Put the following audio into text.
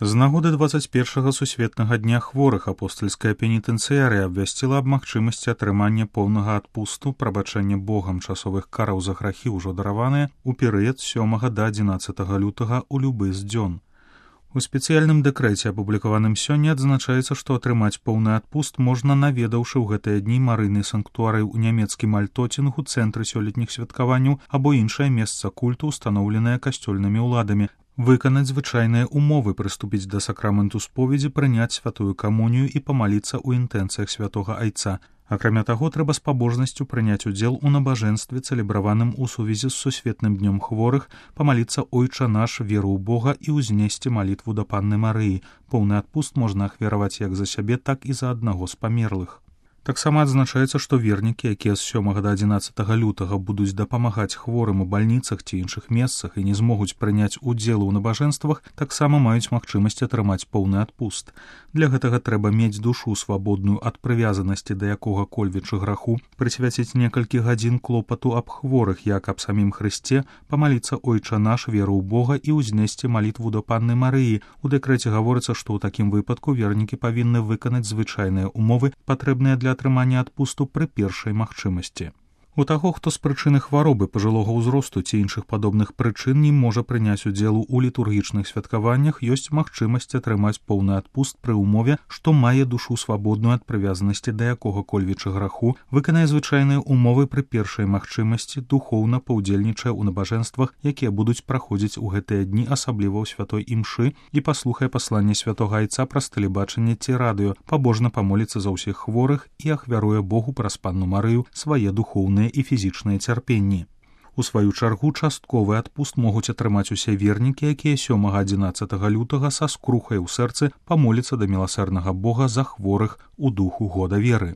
З нагоды 21-го сусветнага дня хворых апостальская пенітэнцыярыя абвясціла аб магчымасці атрымання поўнага адпусту, прабачэння Богам часовых караў за грахі ўжо дараваныя ў перыяд 7 да 11 лютага ў любы з дзён. У спецыяльным дэкрэце, апублікаваным сёння, адзначаецца, што атрымаць поўны адпуст можна, наведаўшы ў гэтыя дні марыйны санктуарый у нямецкім Альтоцінгу, цэнтры сёлетніх святкаванняў або іншае месца культу, устаноўленае касцёльнымі ўладамі, выканаць звычайныя умовы, прыступіць да сакраменту споведзі, прыняць святую камунію і памаліцца ў інтэнцыях святога айца. Акрамя таго, трэба з пабожнасцю прыняць удзел у набажэнстве, цэлебраваным у сувязі з сусветным днём хворых, памаліцца «Ойча наш», веру ў Бога і ўзнесці малітву да Панны Марыі. Поўны адпуст можна ахвяраваць як за сябе, так і за аднаго з памерлых. Таксама адзначаецца, што вернікі, якія з 7 да 11 лютага будуць дапамагаць хворым у бальніцах ці іншых месцах і не змогуць прыняць удзел у набажэнствах, таксама маюць магчымасць атрымаць поўны адпуст. Для гэтага трэба мець душу свабодную ад прывязанасці да якога-кольвічы граху, прысвяціць некалькі гадзін клопату аб хворых, як аб самім Хрысце, памаліцца «Ойча наш», веру ў Бога і ўзнесці малітву да Панны Марыі. У дэкрэце гаворыцца, што ў такім выпадку вернікі павінны выканаць звычайныя умовы, патрэбныя для атрымання адпусту пры першай магчымасці. У таго, хто з прычыны хваробы, пажылога ўзросту ці іншых падобных прычын не можа прыняць удзелу ў літургічных святкаваннях, ёсць магчымасць атрымаць поўны адпуст пры ўмове, што мае душу свабодную ад прывязанасці да якога-кольвічы граху, выканае звычайныя умовы пры першай магчымасці, духоўна паўдзельнічае ў набажэнствах, якія будуць праходзіць у гэтыя дні, асабліва ў святой імшы, і паслухае пасланне святога айца праз тэлебачанне ці радыё, пабожна памоліцца за ўсіх хворых і ахвяруе Богу праз Панну Марыю свае духоўныя і фізічныя цярпенні. У сваю чаргу частковы адпуст могуць атрымаць усе вернікі, якія 7-11 лютага са скрухай у сэрцы памоліцца да міласэрнага Бога за хворых у духу года веры.